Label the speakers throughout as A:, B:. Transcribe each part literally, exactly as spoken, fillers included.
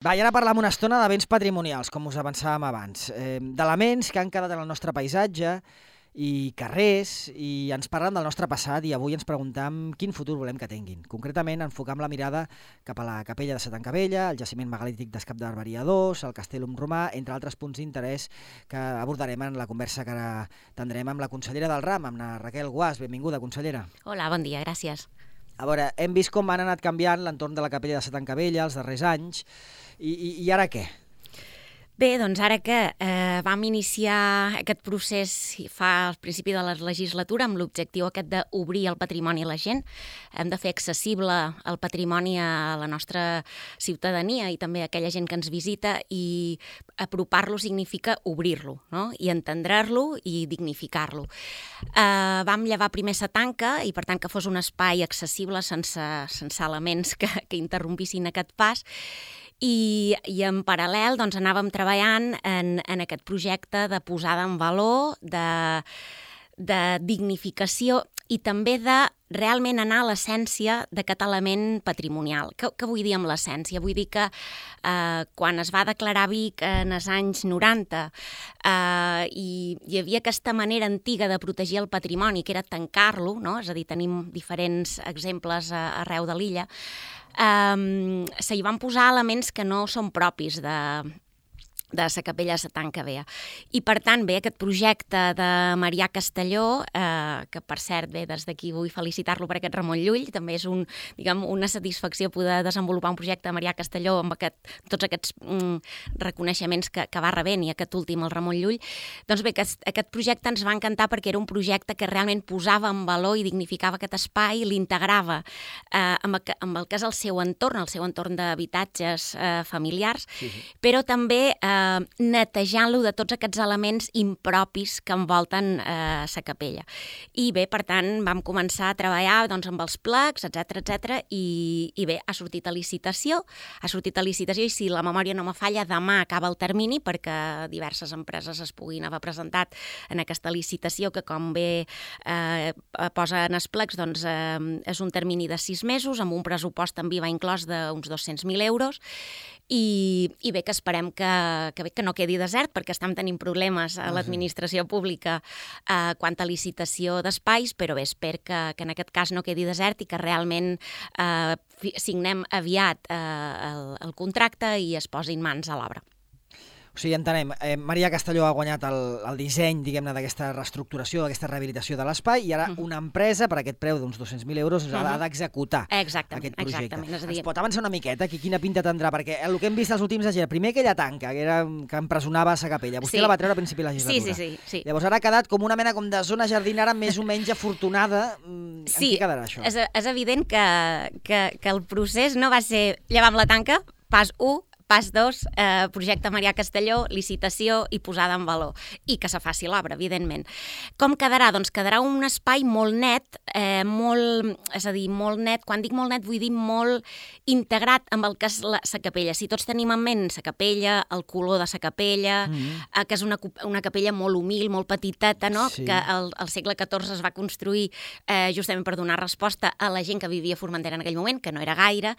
A: Va, i ara parlam una estona de béns patrimonials, com us avançàvem abans, eh, d'elements que han quedat en el nostre paisatge i carrers, i ens parlen del nostre passat i avui ens preguntam quin futur volem que tinguin. Concretament, enfocam la mirada cap a la capella de Sa Tancabella, el jaciment megalític d'Escap de Barberia dos, el Castellum Romà, entre altres punts d'interès que abordarem en la conversa que ara tindrem amb la consellera del RAM, amb la Raquel Guàs. Benvinguda, consellera.
B: Hola, bon dia, gràcies.
A: A veure, hem vist com han anat canviant l'entorn de la capella de Sa Tancabella els darrers anys, i, i, i ara què?
B: Bé, doncs ara que eh, vam iniciar aquest procés fa al principi de la legislatura amb l'objectiu aquest d'obrir el patrimoni a la gent, hem de fer accessible el patrimoni a la nostra ciutadania i també a aquella gent que ens visita, i apropar-lo significa obrir-lo, no? I entendre-lo i dignificar-lo. Eh, vam llevar primer Sa Tanca i per tant que fos un espai accessible sense, sense elements que, que interrompissin aquest pas. I, i en paral·lel doncs, anàvem treballant en, en aquest projecte de posada en valor, de, de dignificació i també de realment anar a l'essència d'aquest element patrimonial. Què, què vull dir amb l'essència? Vull dir que eh, quan es va declarar Vic en els anys noranta eh, i hi havia aquesta manera antiga de protegir el patrimoni, que era tancar-lo, no? És a dir, tenim diferents exemples a, arreu de l'illa, Um, se hi van posar elements que no són propis de, de Sa Capella de Sa Tancabella. I per tant, bé, aquest projecte de Marià Castelló, eh, que per cert, bé, des d'aquí vull felicitar-lo per aquest Ramon Llull, també és un, diguem, una satisfacció poder desenvolupar un projecte de Marià Castelló amb aquest, tots aquests mm, reconeixements que, que va rebent, i aquest últim, el Ramon Llull. Doncs bé, aquest, aquest projecte ens va encantar perquè era un projecte que realment posava en valor i dignificava aquest espai, l'integrava eh, amb, el, amb el que és el seu entorn, el seu entorn d'habitatges eh, familiars, sí, sí. Però també eh, netejant-lo de tots aquests elements impropis que envolten eh, Sa Capella. I bé, per tant, vam començar a treballar doncs, amb els plecs, etcètera, etcètera, i, i bé, ha sortit a licitació, ha sortit a licitació, i si la memòria no me falla, demà acaba el termini perquè diverses empreses es puguin haver presentat en aquesta licitació, que com bé eh, posa en els plecs, doncs eh, és un termini de sis mesos, amb un pressupost també va inclòs d'uns dos-cents mil euros, i, i bé, que esperem que, que, bé, que no quedi desert, perquè estem tenint problemes a l'administració pública eh, quant a licitació d'espais, però bé, espero que, que en aquest cas no quedi desert i que realment eh, signem aviat eh, el, el contracte i es posin mans a l'obra.
A: O sigui, entenem, eh, Marià Castelló ha guanyat el, el disseny, diguem-ne, d'aquesta reestructuració, d'aquesta rehabilitació de l'espai, i ara uh -huh. una empresa, per aquest preu d'uns dos-cents mil euros, uh -huh. ha d'executar aquest projecte.
B: Exactament. És a dir...
A: Ens pot avançar una miqueta aquí quina pinta tindrà? Perquè el que hem vist els últims anys era primer aquella tanca, que, era, que empresonava Sa Capella. Vostè sí. la va treure a principi de la legislatura.
B: Sí, sí, sí, sí.
A: Llavors ara ha quedat com una mena com de zona jardinera més o menys afortunada.
B: Sí,
A: en què quedarà això?
B: És, és evident que, que, que el procés no va ser llevar amb la tanca, pas u, pas dos, eh, projecte Marià Castelló, licitació i posada en valor. I que se faci l'obra, evidentment. Com quedarà? Doncs quedarà un espai molt net, eh, molt, és a dir, molt net. Quan dic molt net vull dir molt integrat amb el que és la Sa Capella. Si tots tenim en ment Sa Capella, el color de Sa Capella, mm-hmm. eh, que és una, una capella molt humil, molt petiteta, no? Sí. Que al, al segle catorze es va construir eh, justament per donar resposta a la gent que vivia a Formentera en aquell moment, que no era gaire.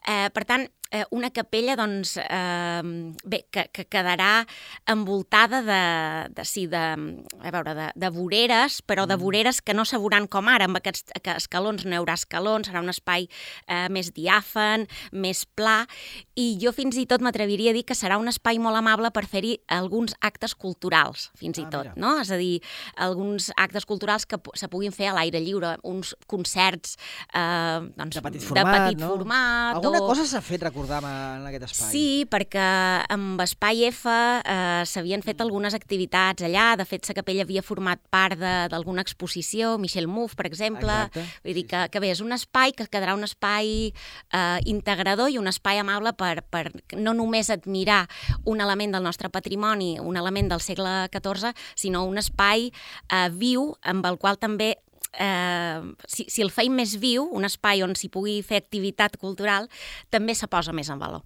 B: Eh, per tant, eh, una capella, doncs, Eh, bé, que, que quedarà envoltada de, de, sí, de, a veure, de, de voreres, però de voreres que no se veuran com ara, amb aquests escalons, no hi haurà escalons, serà un espai eh, més diàfan, més pla, i jo fins i tot m'atreviria a dir que serà un espai molt amable per fer-hi alguns actes culturals, fins i tot, ah, no? És a dir, alguns actes culturals que se puguin fer a l'aire lliure, uns concerts eh, doncs,
A: de petit format,
B: de petit
A: no?
B: format
A: Alguna
B: o...
A: cosa s'ha fet, recordar, en aquest espai?
B: Sí, perquè amb Espai F eh, s'havien fet algunes activitats allà. De fet, Sa Capella havia format part d'alguna exposició, Michel Mouffe, per exemple.
A: Exacte.
B: Vull dir que, que bé, és un espai que quedarà un espai eh, integrador i un espai amable per, per no només admirar un element del nostre patrimoni, un element del segle catorze, sinó un espai eh, viu amb el qual també Eh, si, si el feim més viu, un espai on s'hi pugui fer activitat cultural, també se posa més en valor.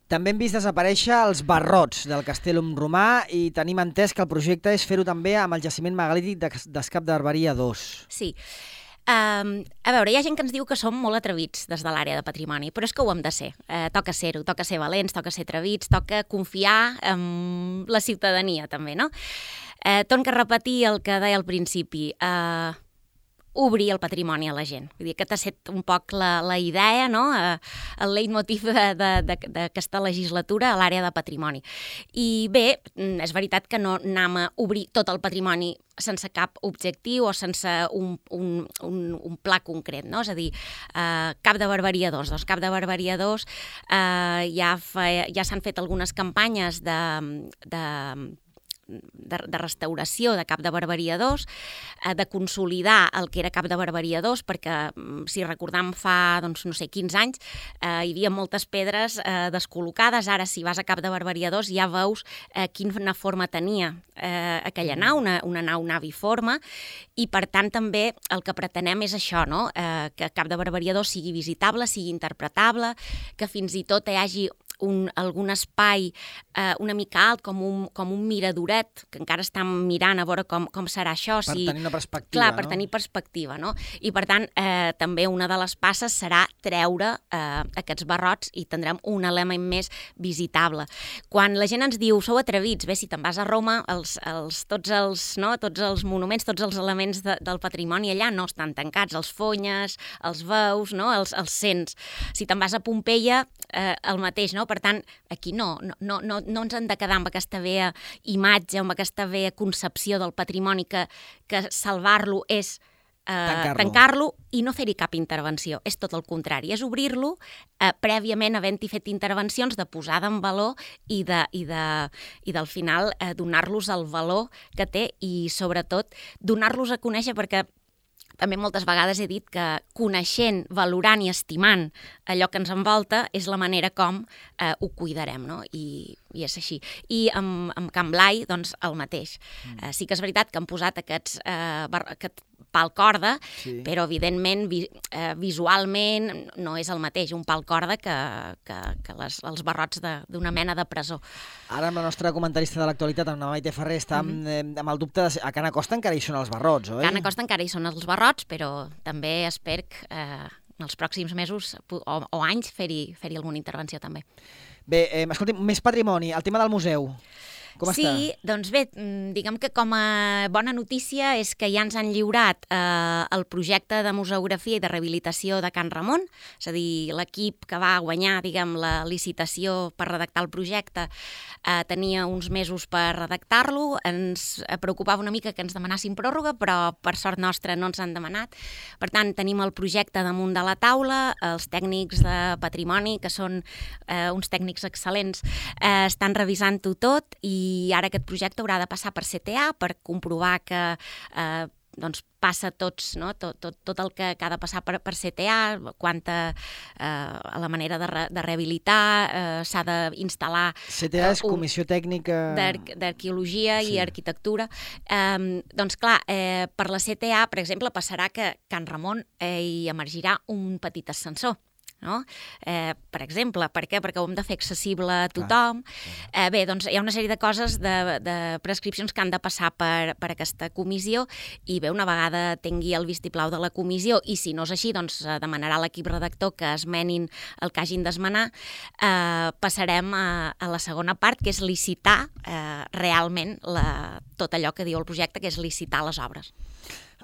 A: També hem vist desaparèixer els barrots del Castellum Romà i tenim entès que el projecte és fer-ho també amb el jaciment megalític d'Escap de Barberia dos.
B: Sí. Um, a veure, hi ha gent que ens diu que som molt atrevits des de l'àrea de patrimoni, però és que ho hem de ser. Uh, toca ser-ho, toca ser valents, toca ser atrevits, toca confiar en la ciutadania, també, no? Uh, Torno a repetir el que deia al principi. Uh, obrir el patrimoni a la gent. Vull dir, aquest ha estat un poc la, la idea, no? Uh, el leitmotiv d'aquesta legislatura a l'àrea de patrimoni. I bé, és veritat que no anem a obrir tot el patrimoni sense cap objectiu o sense un, un, un, un pla concret, no? És a dir, eh, Cap de Barberia dos. Doncs Cap de Barberia dos eh, ja, fa, ja s'han fet algunes campanyes de... de De, de restauració de Cap de Barberia dos, eh, de consolidar el que era Cap de Barberia dos, perquè, si recordam, fa, doncs, no sé, quinze anys, eh, hi havia moltes pedres eh, descol·locades. Ara, si vas a Cap de Barberia dos, ja veus eh, quina forma tenia eh, aquella nau, una, una nau naviforme, i, per tant, també el que pretenem és això, no? Eh, que Cap de Barberia dos sigui visitable, sigui interpretable, que fins i tot hi hagi Un, algun espai eh, una mica alt, com un, com un miradoret, que encara estan mirant a veure com, com serà això.
A: Per
B: si...
A: tenir una perspectiva,
B: Clar,
A: no?
B: per tenir perspectiva, no? I, per tant, eh, també una de les passes serà treure eh, aquests barrots i tindrem un element més visitable. Quan la gent ens diu, sou atrevits, bé, si te'n vas a Roma, els, els, tots, els, no? tots els monuments, tots els elements de, del patrimoni allà no estan tancats, els fonyes, els veus, no? els, els sents. Si te'n vas a Pompeia, eh, el mateix, no? Per tant, aquí no, no, no, no ens hem de quedar amb aquesta vea imatge, amb aquesta vea concepció del patrimoni que, que salvar-lo és eh,
A: Tancar-lo.
B: tancar-lo i no fer-hi cap intervenció. És tot el contrari, és obrir-lo eh, prèviament havent-hi fet intervencions de posada en valor i, de, i, de, i del final eh, donar-los el valor que té i, sobretot, donar-los a conèixer, perquè també moltes vegades he dit que coneixent, valorant i estimant allò que ens envolta és la manera com eh, ho cuidarem, no? I, i és així. I amb, amb Can Blai, doncs, el mateix. Mm. Eh, sí que és veritat que han posat aquests, eh, bar, aquest pal corda, sí. però, evidentment, vi, eh, visualment no és el mateix un pal corda que, que, que les, els barrots d'una mena de presó.
A: Ara, amb la nostra comentarista de l'actualitat, amb la Maite Ferrer, està amb, mm. amb el dubte de... A Can Acosta encara hi són els barrots, oi?
B: A Can Acosta encara hi són els barrots, però també espero eh, en els pròxims mesos o, o anys fer-hi fer-hi alguna intervenció també.
A: Bé, eh, escolti'm, més patrimoni, el tema del museu. Com
B: sí,
A: està?
B: Doncs bé, diguem que com a bona notícia és que ja ens han lliurat eh, el projecte de museografia i de rehabilitació de Can Ramon, és a dir, l'equip que va guanyar, diguem, la licitació per redactar el projecte eh, tenia uns mesos per redactar-lo. Ens preocupava una mica que ens demanassin pròrroga, però per sort nostra no ens han demanat. Per tant, tenim el projecte damunt de la taula, els tècnics de patrimoni, que són eh, uns tècnics excel·lents, eh, estan revisant-ho tot i i ara aquest projecte haurà de passar per C T A per comprovar que eh, doncs passa tots, no? tot, tot, tot el que, que ha de passar per, per C T A, quanta eh, a la manera de, re, de rehabilitar, eh, s'ha d'instal·lar...
A: C T A és Comissió Tècnica...
B: d'Arqueologia
A: sí.
B: i Arquitectura. Eh, doncs clar, eh, per la C T A, per exemple, passarà que Can Ramon eh, hi emergirà un petit ascensor. No? Eh, per exemple, per què? Perquè ho hem de fer accessible a tothom. Eh, bé, doncs hi ha una sèrie de coses, de, de prescripcions que han de passar per, per aquesta comissió i bé, una vegada tingui el vistiplau de la comissió i si no és així, doncs demanarà a l'equip redactor que esmenin el que hagin d'esmenar, eh, passarem a, a la segona part, que és licitar eh, realment la, tot allò que diu el projecte, que és licitar les obres.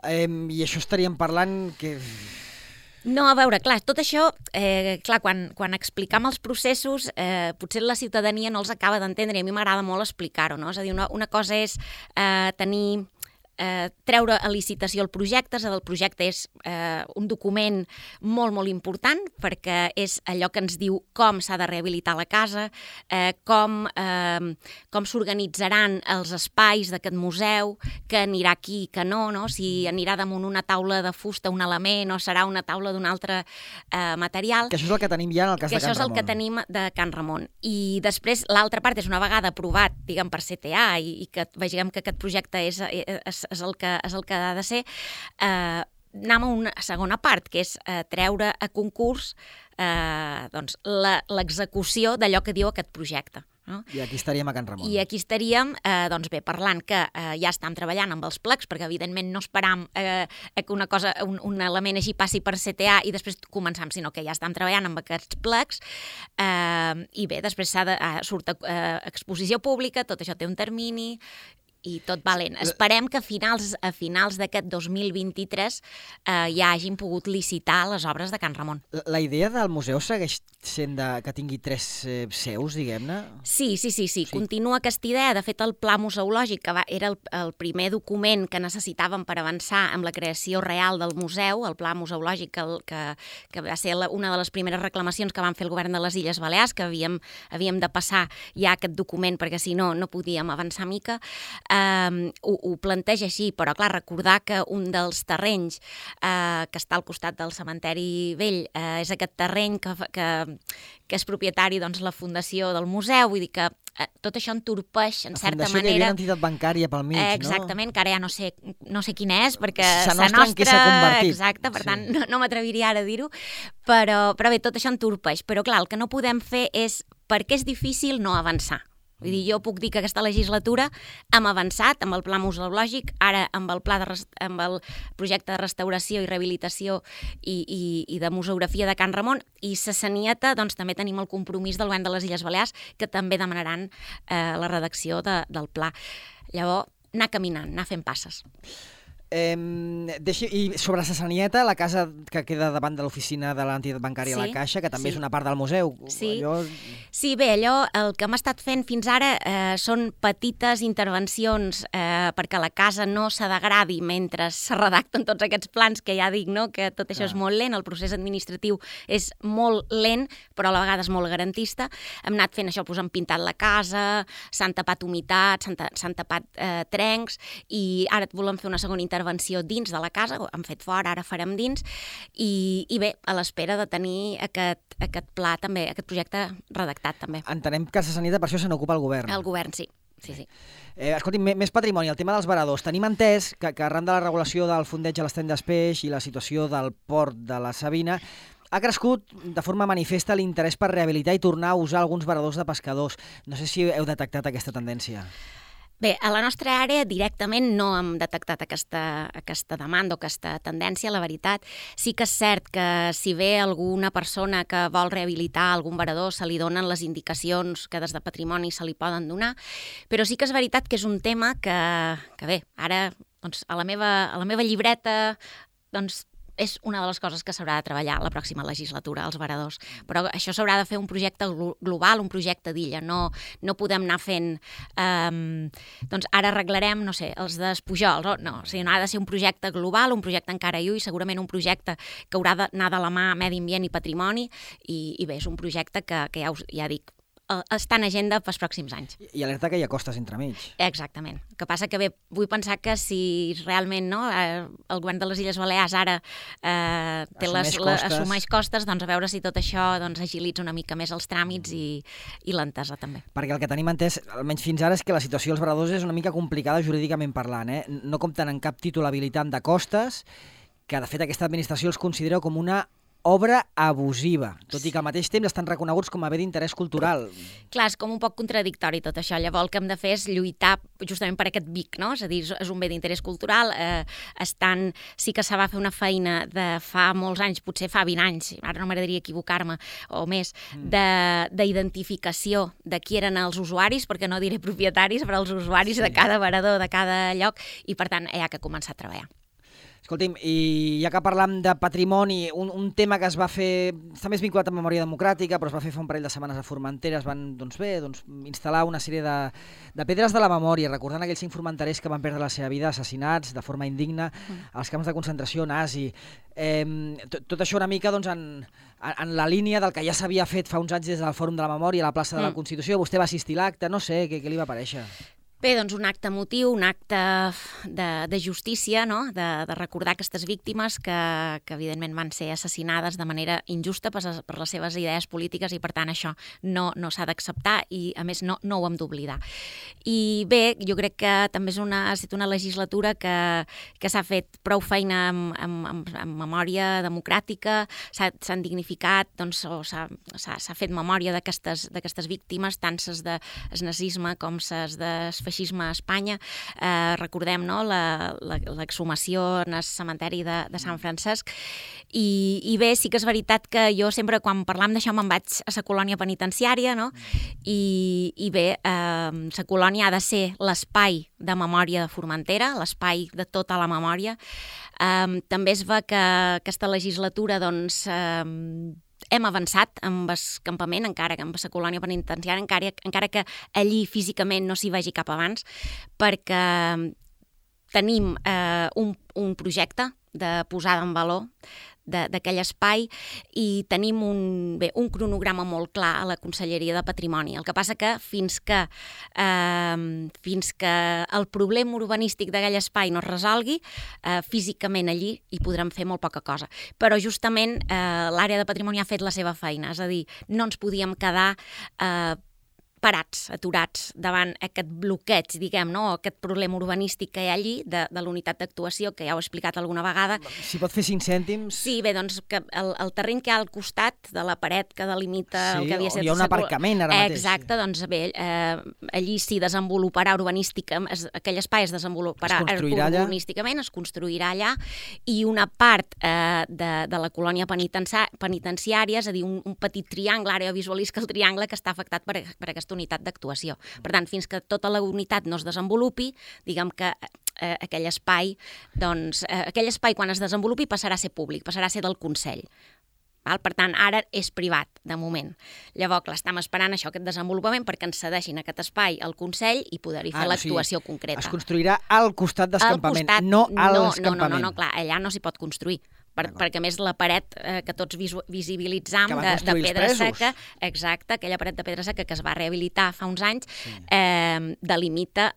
A: Eh, I això estaríem parlant que...
B: No, a veure, clar, tot això, eh, clar, quan, quan explicam els processos, eh, potser la ciutadania no els acaba d'entendre i a mi m'agrada molt explicar-ho, no? És a dir, una, una cosa és eh, tenir... Eh, treure a licitació el projecte, és a dir, el projecte és eh, un document molt, molt important perquè és allò que ens diu com s'ha de rehabilitar la casa, eh, com, eh, com s'organitzaran els espais d'aquest museu, que anirà aquí, que no, no, si anirà damunt una taula de fusta un element o serà una taula d'un altre eh, material.
A: Que això és el que tenim ja en el cas de Can Ramon.
B: Que això és el que tenim de Can Ramon. I després l'altra part és una vegada aprovat, diguem, per C T A i, i que vegem que aquest projecte és, és és el que, és el que ha de ser, eh, anem a una segona part, que és eh, treure a concurs eh, doncs, l'execució d'allò que diu aquest projecte. No?
A: I aquí estaríem a Can Ramon.
B: I aquí estaríem, eh, doncs bé, parlant que eh, ja estem treballant amb els plecs, perquè evidentment no esperam eh, que una cosa, un, un element així passi per C T A i després començam, sinó que ja estem treballant amb aquests plecs, eh, i bé, després s'ha de, eh, surt eh, exposició pública, tot això té un termini, i tot valent. Esperem que a finals, a finals d'aquest dos mil vint-i-tres eh, ja hagin pogut licitar les obres de Can Ramon.
A: La, la idea del museu segueix sent de, que tingui tres eh, seus, diguem-ne?
B: Sí, sí, sí, sí, sí, continua aquesta idea. De fet, el Pla Museològic, que va, era el, el primer document que necessitàvem per avançar amb la creació real del museu, el Pla Museològic, que, que, que va ser la, una de les primeres reclamacions que van fer el govern de les Illes Balears, que havíem, havíem de passar ja aquest document, perquè si no, no podíem avançar mica. Uh, ho, ho planteja així, però clar, recordar que un dels terrenys uh, que està al costat del cementeri vell uh, és aquest terreny que, que, que és propietari, doncs, la fundació del museu, vull dir que uh, tot això entorpeix, en
A: la
B: certa
A: fundació
B: manera...
A: que hi havia una entitat bancària pel mig,
B: eh,
A: no?
B: Exactament, que ara ja no sé, no sé quina és, perquè
A: Sa
B: Sa
A: Nostra en què s'ha convertit.
B: Exacte, per
A: Sí.
B: tant, no, no m'atreviria ara a dir-ho, però, però bé, tot això entorpeix. Però clar, el que no podem fer és, perquè és difícil no avançar. Vull dir, jo puc dir que aquesta legislatura hem avançat amb el pla museològic, ara amb el, pla de, amb el projecte de restauració i rehabilitació i, i, i de museografia de Can Ramon, i a Sanieta doncs, també tenim el compromís del govern de les Illes Balears, que també demanaran eh, la redacció de, del pla. Llavors, anar caminant, anar fent passes.
A: Eh, deixi, I sobre Sa Sanieta, la casa que queda davant de l'oficina de l'entitat bancària,
B: sí,
A: La Caixa, que també
B: sí.
A: és una part del museu.
B: Sí.
A: Allò...
B: sí, bé, allò, el que hem estat fent fins ara eh, són petites intervencions eh, perquè la casa no se degradi mentre se redacten tots aquests plans, que ja dic, no?, que tot això
A: Clar.
B: és molt lent, el procés administratiu és molt lent, però a la vegada és molt garantista. Hem anat fent això, doncs, hem pintat la casa, s'han tapat humitats, s'han ta tapat eh, trencs, i ara volem fer una segona intervenció intervenció dins de la casa, hem fet fora, ara farem dins, i, i bé, a l'espera de tenir aquest, aquest pla també, aquest projecte redactat també.
A: Entenem que Sa Sanieta per això se n'ocupa el govern.
B: El govern, sí. Sí, sí.
A: Eh, escolti, més patrimoni, el tema dels varadors. Tenim entès que, que arran de la regulació del fondeig a l'estany d'Espeix i la situació del port de la Sabina, ha crescut de forma manifesta l'interès per rehabilitar i tornar a usar alguns varadors de pescadors. No sé si heu detectat aquesta tendència.
B: Bé, a la nostra àrea directament no hem detectat aquesta, aquesta demanda o aquesta tendència, la veritat. Sí que és cert que si ve alguna persona que vol rehabilitar algun varador, se li donen les indicacions que des de patrimoni se li poden donar, però sí que és veritat que és un tema que, que bé, ara doncs, a, la meva, a la meva llibreta doncs, és una de les coses que s'haurà de treballar la pròxima legislatura, els varadors. Però això s'haurà de fer un projecte global, un projecte d'illa. No, no podem anar fent... Um, doncs ara arreglarem, no sé, els d'Espujols. No, o sigui, no ha de ser un projecte global, un projecte encara lluny, segurament un projecte que haurà d'anar de la mà medi ambient i patrimoni, i, i bé, és un projecte que, que ja, us, ja dic, està en agenda pels pròxims anys.
A: I alerta que hi ha costes entremig.
B: Exactament. El que passa que bé, vull pensar que si realment no, eh, el govern de les Illes Balears ara eh, té
A: assumeix,
B: les, la,
A: costes.
B: assumeix costes, doncs a veure si tot això doncs, agilitza una mica més els tràmits i, i l'entesa també.
A: Perquè el que tenim entès, almenys fins ara, és que la situació dels varadors és una mica complicada jurídicament parlant. Eh? No compten en cap títol habilitant de costes, que de fet aquesta administració els considera com una obra abusiva, tot i que al mateix temps estan reconeguts com a bé d'interès cultural.
B: Clar, és com un poc contradictori tot això. Llavors el que hem de fer és lluitar justament per aquest B I C, no? És a dir, és un bé d'interès cultural. Eh, estan... Sí que se va fer una feina de fa molts anys, potser fa vint anys, ara no m'agradaria equivocar-me, o més, d'identificació de, de qui eren els usuaris, perquè no diré propietaris, però els usuaris sí. de cada varador, de cada lloc, i per tant hi ha que començar a treballar.
A: Escolti'm, i ja que parlam de patrimoni, un, un tema que es va fer, està més vinculat a memòria democràtica, però es va fer fa un parell de setmanes a Formentera, es van doncs bé, doncs, instal·lar una sèrie de, de pedres de la memòria, recordant aquells cinc formenterers que van perdre la seva vida assassinats de forma indigna als camps de concentració nazi. Eh, tot, tot això una mica doncs, en, en la línia del que ja s'havia fet fa uns anys des del Fòrum de la Memòria a la plaça de la Constitució. Vostè va assistir a l'acte, no sé, què, què li va parèixer?
B: Bé, doncs un acte emotiu, un acte de, de justícia, no? de, de recordar aquestes víctimes que, que evidentment van ser assassinades de manera injusta per, per les seves idees polítiques i per tant això no, no s'ha d'acceptar i a més no, no ho hem d'oblidar. I bé, jo crec que també és una, ha estat una legislatura que, que s'ha fet prou feina amb, amb, amb, amb memòria democràtica, s'han dignificat, doncs, o s'ha fet memòria d'aquestes víctimes, tant ses del nazisme com ses del feixisme a Espanya. Eh, recordem no, l'exhumació en el cementeri de, de Sant Francesc. I, I bé, sí que és veritat que jo sempre, quan parlam d'això, me'n vaig a la colònia penitenciària, no? I, i bé, eh, la colònia ha de ser l'espai de memòria de Formentera, l'espai de tota la memòria. Eh, també es va que aquesta legislatura, doncs, eh, hem avançat amb el campament, encara que amb la colònia penitenciària, encara, encara que allí físicament no s'hi vagi cap abans, perquè tenim eh, un, un projecte de posada en valor d'aquell espai i tenim un, bé, un cronograma molt clar a la Conselleria de Patrimoni. El que passa que fins que, eh, fins que el problema urbanístic d'aquell espai no es resolgui, eh, físicament allí hi podrem fer molt poca cosa. Però justament eh, l'àrea de patrimoni ha fet la seva feina, és a dir, no ens podíem quedar eh, parats, aturats davant aquest bloqueig, diguem, no? Aquest problema urbanístic que hi ha allí de, de l'unitat d'actuació, que ja ho he explicat alguna vegada.
A: Si pot fer cinc cèntims...
B: Sí, bé, doncs que el, el terreny que hi ha al costat de la paret que delimita
A: sí,
B: el que havia estat...
A: Sí, hi ha un aparcament ara mateix.
B: Exacte, doncs bé, eh, allí s'hi desenvoluparà urbanísticament, aquell espai es desenvoluparà
A: es
B: urbanísticament, es construirà allà, i una part eh, de, de la colònia penitenciària, és a dir, un, un petit triangle, ara jo visualisc el triangle que està afectat per, per aquesta unitat d'actuació. Per tant, fins que tota la unitat no es desenvolupi, diguem que eh, aquell espai, doncs, eh, aquell espai quan es desenvolupi passarà a ser públic, passarà a ser del Consell. Val? Per tant, ara és privat, de moment. Llavors, clar, estem esperant això, aquest desenvolupament, perquè ens cedeixin aquest espai al Consell i poder-hi fer ah, l'actuació o sigui, concreta.
A: Es construirà al costat del campament, no al
B: no,
A: campament.
B: No, no, no, clar, allà no s'hi pot construir. Per, perquè a més la paret eh, que tots visu, visibilitzam de, de pedra seca, exacte, aquella paret de pedra seca que es va rehabilitar fa uns anys, sí. eh, delimita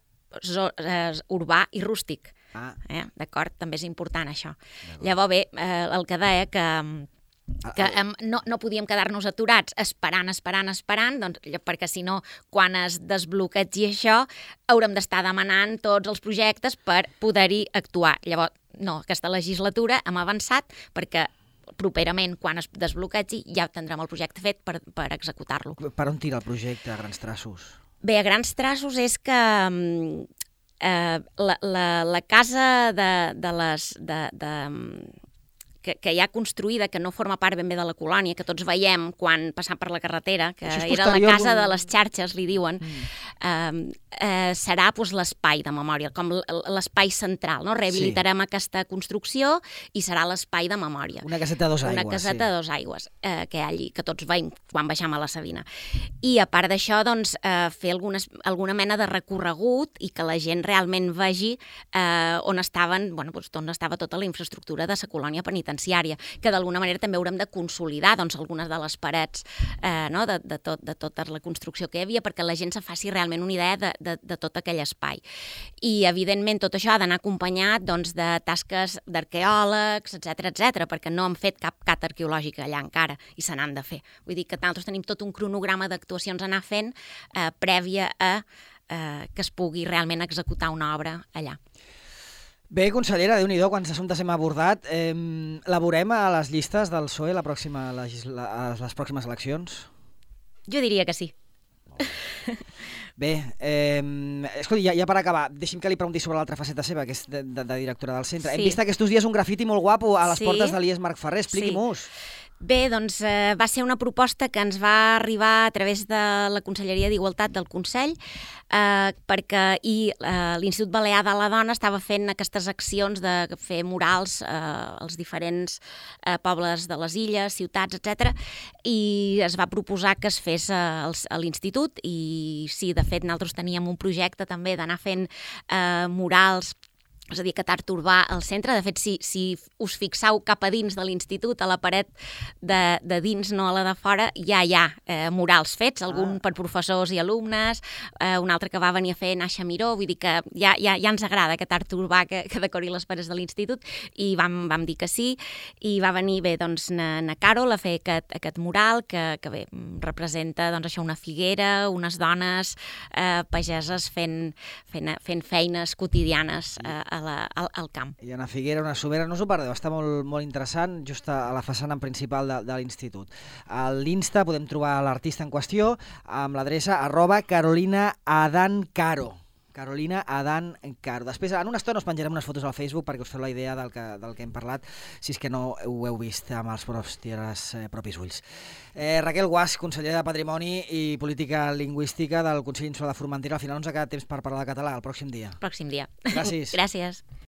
B: zo, eh, urbà i rústic. Ah. Eh, d'acord? També és important això. Llavors bé, eh, el que deia que que um, no, no podíem quedar-nos aturats esperant, esperant, esperant, doncs, perquè si no, quan es desbloquegi això, haurem d'estar demanant tots els projectes per poder-hi actuar. Llavors, no, aquesta legislatura hem avançat perquè properament, quan es desbloquegi, ja tindrem el projecte fet per, per executar-lo.
A: Per on tira el projecte, a grans traços?
B: Bé, a grans traços és que eh, la, la, la casa de, de les... De, de, Que, que hi ha construïda, que no forma part ben bé de la colònia, que tots veiem quan passam per la carretera, que era la casa de les xarxes, li diuen, mm. eh, eh, serà doncs, l'espai de memòria, com l'espai central. No? Rehabilitarem sí. aquesta construcció i serà l'espai de memòria.
A: Una caseta de dos aigües.
B: Una caseta sí. de dos aigües, eh, que hi ha allí, que tots veiem quan baixam a la Sabina. I a part d'això, doncs, eh, fer algunes, alguna mena de recorregut i que la gent realment vegi eh, on estaven, bueno, doncs, on estava tota la infraestructura de la colònia penitenciària, que d'alguna manera també haurem de consolidar doncs, algunes de les parets eh, no? de, de, tot, de tota la construcció que hi havia perquè la gent se faci realment una idea de, de, de tot aquell espai. I, evidentment, tot això ha d'anar acompanyat doncs, de tasques d'arqueòlegs, etcètera, etcètera, perquè no hem fet cap cat arqueològic allà encara i se n'han de fer. Vull dir que nosaltres tenim tot un cronograma d'actuacions a anar fent eh, prèvia a eh, que es pugui realment executar una obra allà.
A: Bé, consellera, Déu-n'hi-do, quants assumptes hem abordat. Eh, laborem a les llistes del P S O E la pròxima legisla... a les pròximes eleccions?
B: Jo diria que sí.
A: Bé, eh, escolti, ja, ja per acabar, deixi'm que li pregunti sobre l'altra faceta seva, que és de, de, de directora del centre. Sí. Hem vist aquests dies un grafiti molt guapo a les sí. portes de l'I E S Marc Ferrer, expliqui-m'ho. Sí.
B: Bé, doncs eh, va ser una proposta que ens va arribar a través de la Conselleria d'Igualtat del Consell, eh, perquè i eh, l'Institut Balear de la Dona estava fent aquestes accions de fer murals eh, als diferents eh, pobles de les illes, ciutats, etcètera, i es va proposar que es fes eh, a l'Institut, i sí, de fet, nosaltres teníem un projecte també d'anar fent eh, murals és a dir, aquest art urbà al centre. De fet, si, si us fixeu cap a dins de l'institut, a la paret de, de dins, no a la de fora, ja hi ha eh, murals fets, algun ah. per professors i alumnes, eh, un altre que va venir a fer Naxa Miró, vull dir que ja, ja, ja ens agrada aquest art urbà que, que decori les parets de l'institut, i vam, vam dir que sí, i va venir bé, doncs, na, na Carol a fer aquest, aquest mural que, que bé, representa, doncs, això, una figuera, unes dones eh, pageses fent, fent, fent feines quotidianes eh, a la, al, al camp.
A: Hi ha una figuera, una somera, no us ho perdeu, està molt, molt interessant, just a la façana principal de, de l'institut. A l'Insta podem trobar l'artista en qüestió amb l'adreça arroba Carolina Adan Caro. Carolina Adan Caro. Després, en una estona us penjarem unes fotos al Facebook perquè us feu la idea del que, del que hem parlat, si és que no ho heu vist amb els vostres eh, propis ulls. Eh, Raquel Guasch, consellera de Patrimoni i Política Lingüística del Consell Insular de Formentera. Al final no ens ha quedat temps per parlar de català el pròxim dia.
B: Pròxim dia.
A: Gràcies.
B: Gràcies.